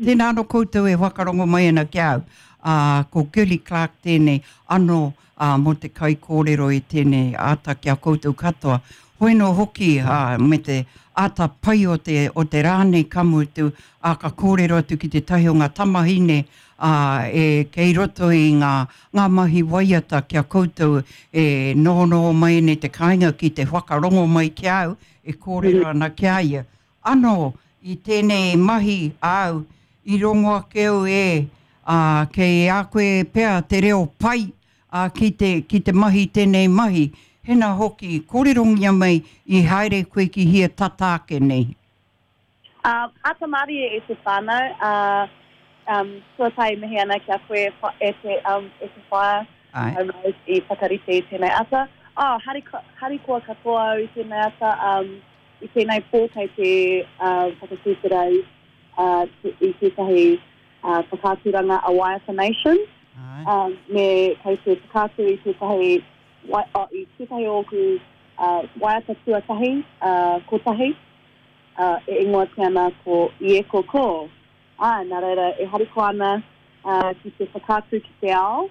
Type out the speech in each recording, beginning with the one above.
Tēnā anō koutou e whakarongo mai ana ki a au. Ā, ko Girlie Clarke tēnei anō, ā, mō te kaikōrero i tēnei ata ki a koutou katoa. Hoi nō hoki, ā, me te ata pai o te, o te rā nei ka mutu, ā, ka kōrero atu ki tētahi o ngā tamahine, ā, e, kei roto i ngā, ngā mahi waiata ki a koutou e nohonoho mai ana i te kāinga ki te whakarongo mai ki a au e kōrero ana ki a ia. Anō, i tēnei mahi āu, i rongo ake au e, ā, kei a koe pea te reo pai, ā, ki te, ki te mahi tēnei mahi. Hena hoki, kōrerongia mai i haere koe ki hia tata ake nei? Ā, āta mārie e te whānau, ā, um, tuatahi mihi ana ki a koe e te, um, e te whaea, Āe. Mai i whakarite i tēnei ata. Ā, hariko, harikoa katoa au i tēnei ata, um, i tēnei pō kei te uh, whakatuwhera i, uh, i tētahi uh, whakaaturanga a Waiata Nation. Āe. Um, me kei te whakaatu i tētahi, wai, oh, i tētahi o ōku uh, waiata tuatahi, uh, kotahi, uh, e ingoatia ana ko Ieko Ko. Āe, nā reira e harikoa ana uh, ki te whakaatu ki te ao.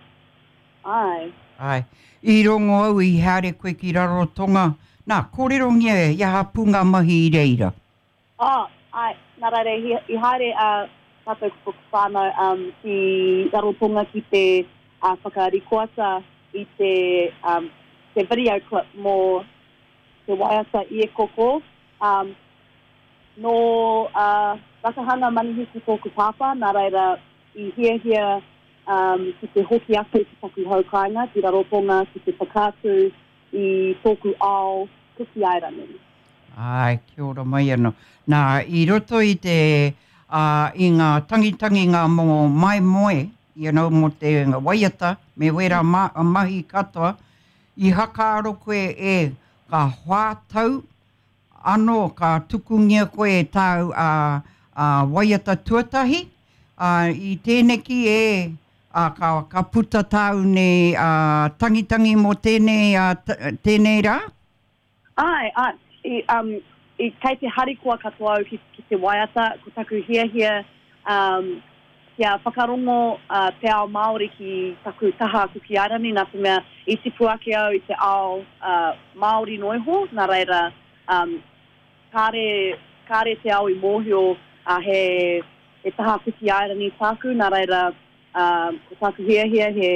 Āe. Āe. I rongo au i haere koe ki Rarotonga. Nā, kōrerongia i aha pū ngā mahi i reira? Oh, āe. Nā reira i, i haere a tātou ko tōku whānau um, ki Rarotonga ki te uh, whakarikoata i te, um, te video clip mō te waiata Iekoko. Um, Nō Rakahanga Manihiki tōku pāpā, nā reira i hiahia ki te hoki ake ki taku hau kāinga, ki Rarotonga, ki te whakaatu i tōku ao Kuki Airani. Āe, kia ora mai anō. Nā, i roto i te, ā, i ngā tangitanginga mō Maimoe, you know, mō te waiata me wērā mahi katoa, i hakaaro koe e, ka whā tau Anō ka tukungia koe e tāu a, a waiata tuatahi, ā, i tēneki e, ā, ka, ka puta tāu nei a, tangitangi mō tēnei, ā, tēnei rā? Āe, āe, i, um, i, kei te harikoa katoa au ki, ki te waiata, ko taku hiahia, um, kia whakarongo uh, te ao Māori ki taku taha Kuki Airani, nā te mea i tipu ake au i te ao uh, Māori noiho, nā reira, um, kāre, kāre te ao i mōhio uh, he, he taha Kuki Airani tāku, nā reira, uh, ko tāku hiahia he,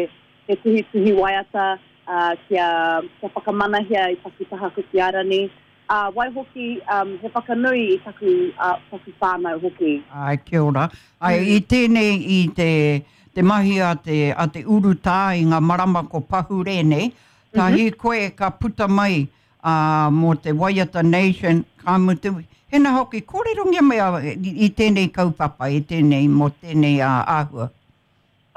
he tuhituhi waiata uh, kia, kia whakamanahia i taku taha Kuki Airani. Ā, waihoki, um, he whakanui i taku, ā, taku whānau hoki. Āe, kia ora. Āe, i tēnei, i te, te mahi a te, a te urutā i ngā marama ko pahure nei, ka hīkoi ka puta mai, ā, mō te Waiata Nation, ka mutu, hena hoki, kōrerongia mai a, i tēnei kaupapa, i tēnei, mō tēnei ā, āhua.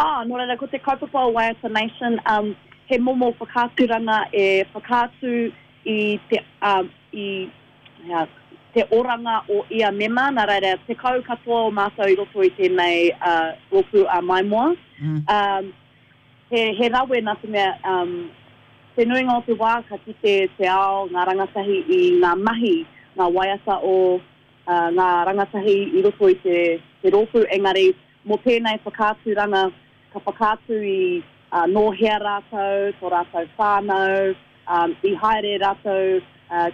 Ā, nō reira, ko te kaupapa o Waiata Nation, um, he momo whakaaturanga e whakaatu i te, um, i, hea, te oranga o ia mema, nā reira, 10 katoa o mātou i roto i tēnei uh, rōpū a Maimoa. Mm. Um, he, he rawe nā te mea, um, te nuinga o te wā ka kite te ao, ngā rangatahi i ngā mahi, ngā waiata o uh, ngā rangatahi i roto i te, te rōpū, engari Mō tēnei whakaaturanga, ka whakaatu i nō hea rātou, tō rātou whānau, i haere rātou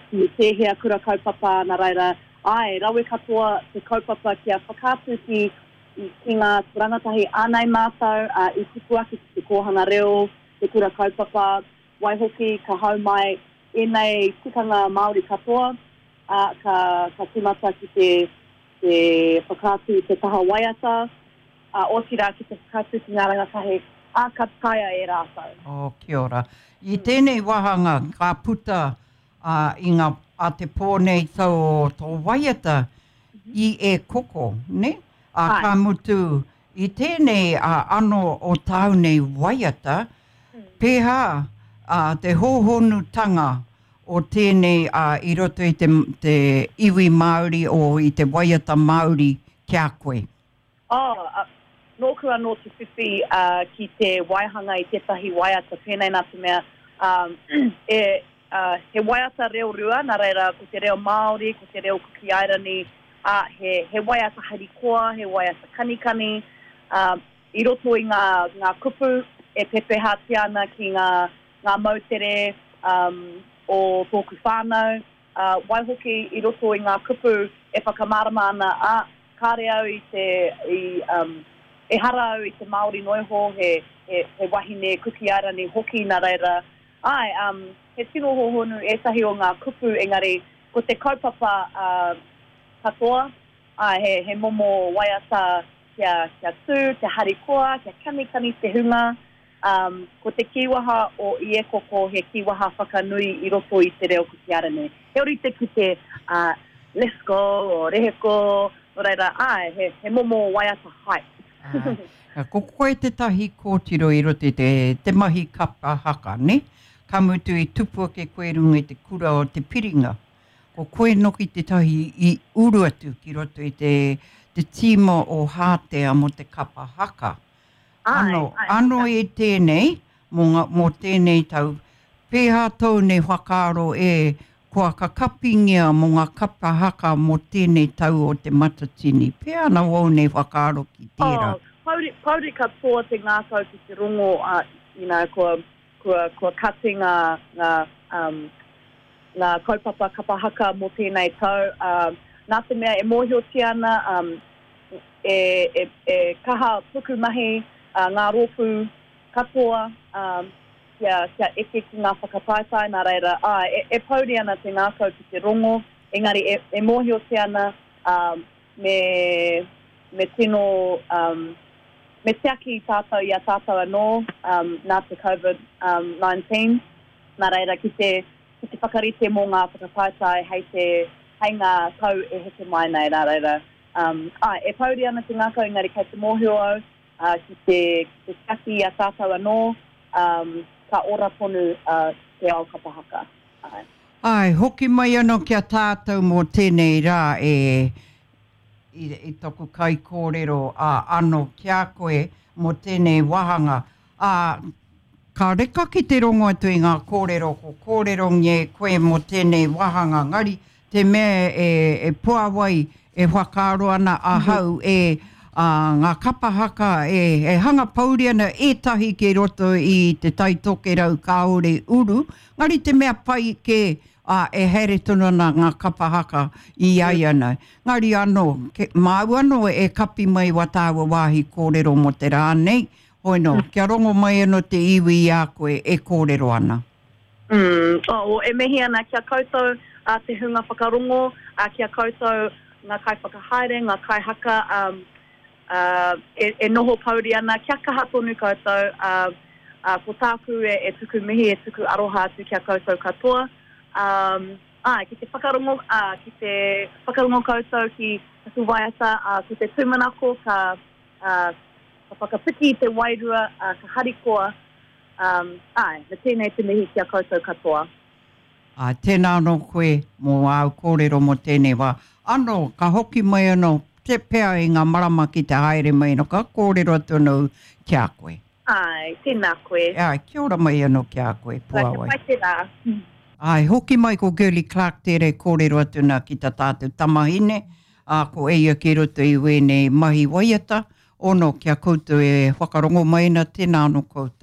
ki tēhea kura kaupapa, nā reira, āe, rawe katoa te kaupapa kia whakaatu ki, ki ngā rangatahi ānei mātou i tipu ake ki te kōhanga reo, te kura kaupapa, waihoki ka hau mai ēnei tikanga Māori katoa, ā, ka, ka tīmata ki te te whakaatu i te taha waiata, ā, otirā ki te whakaatu ki ngā rangatahi, ā, ka taea e rātou. Oh, kia ora. I tēnei wāhanga ka puta ā, i ngā, a te pō nei tō, tō waiata i E Koko, nē? Ā, Āe. ka mutu, i tēnei ā, anō o tāu nei waiata, pēhā ā, te hōhonutanga o tēnei ā, i roto i te, te iwi Māori o i te waiata Māori ki a koe? Oh, ā, nōku anō te whiwhi ā, ki te waihanga i tētahi waiata pēnei nā te mea, ā, e, ā, he waiata reo rua, nā reira ko te reo Māori, ko te reo Kuki Airani, ā, he, he waiata harikoa, he waiata kanikani, ā, i roto i ngā, ngā kupu e pepehatia ana ki ngā, ngā moutere, um, o tōku whānau, ā, waihoki i roto i ngā kupu e whakamārama ana, ā, kāre au i te, i, um, ehara au i te Māori noa iho, he, he, he wahine Kuki Airani hoki, nā reira, āe, um, he tino hōhonu ētahi o ngā kupu, engari ko te kaupapa, ā, katoa, āe, he, he momo waiata kia, kia tū, kia harikoa, kia kanikani te hunga, Um, ko te kīwaha o Iekoko he kīwaha whakanui i roto i te reo Kuki Airani. He orite ki te uh, let's go o reheko, nō reira, āe, he, he momo waiata hype. Āe. Ko koe tētahi kōtiro i roto i te, te mahi kapa haka, nē? Ka mutu i tupu ake koe i runga i te kura o Te Piringa. Ko koe noki tētahi i uru atu ki roto i te, te tīma o Hātea mō te kapa haka. Ano, ano i tēnei, mō ngā, mō tēnei tau, pēhā tōu nei whakaaro e, kua kakapingia mō ngā kapa haka mō tēnei tau o Te Matatini? Pēhā ana wōu nei whakaaro ki tērā? Oh, pouri, pouri katoa te ngākau ki te rongo, uh, you know, kua, kua, kua kati ngā, ngā, um, ngā kaupapa kapa haka mō tēnei tau, uh, nā te mea e mōhiotia ana, um, e, e, e kaha pukumahi ngā rōpū katoa kia, kia eke ki ngā whakataetae, nā reira, āe, e, e pouri ana te ngākau ki te rongo, engari e, e mōhiotia ana me, me tino, me tiaki tātou i a tātou anō nā te Covid 19, nā reira ki te, ki te whakarite mō ngā whakataetae hei te, hei ngā tau e heke mai nei, nā reira, Um, āe, e pouri ana te ngākau engari kei te mōhio au uh, ki te, ki te tiaki i a tātou anō, um, ka ora tonu uh, te ao kapa haka. Āe. Āe, hoki mai anō ki a tātou mō tēnei rā e, i, i toku kaikōrero ā, anō ki a koe mō tēnei wāhanga. Ā, ka reka ki te rongo atu i ngā kōrero ko kōrerongia e koe mō tēnei wāhanga, ngari te mea e, e puāwai, e whakaaro ana ahau e ā, ngā kapa haka e, e hanga pouri ana ētahi ki roto i Te Tai Tokerau kāore uru, ngari te mea pai kē, ā, e haere tonu ana ngā kapa haka i a ia nei. Ngari anō, ke, māu anō e kapi mai wā tāua wāhi kōrero mō te rā nei, hoi nō, kia rongo mai anō te iwi i a koe e kōrero ana. Mm, oh, e mihi ana ki a koutou uh, te hunga whakarongo, uh, ki a koutou ngā kaiwhakahaere, ngā kaihaka, um, uh, e, e noho pouri ana, kia kaha tonu koutou, uh, uh, ko tāku e, e tuku mihi, e tuku aroha atu ki a koutou katoa. Um, āe, ki te whakarongo, uh, ki te whakarongo koutou ki taku waiata, uh, ko te tūmanako ka, uh, ka whakapiki i te wairua, uh, ka harikoa, Um, āe, me tēnei te mihi ki a koutou katoa. Āe, tēnā anō koe mō āu kōrero mō tēnei wā. Anō, ka hoki mai anō te pea i ngā marama ki te haere mai anō, ka kōrero atu anō ki a koe. Āe, tēnā koe. Āe, kia ora mai anō ki a koe, Puawai. Kia pai te rā. Āe, hoki mai ko Girlie Clarke tērā e kōrero atu nā ki tā tātou tamahine, ā, ko eia ki roto i wēnei mahi waiata, Ono, ki a koutou e whakarongo mai ana, tēnā anō koutou.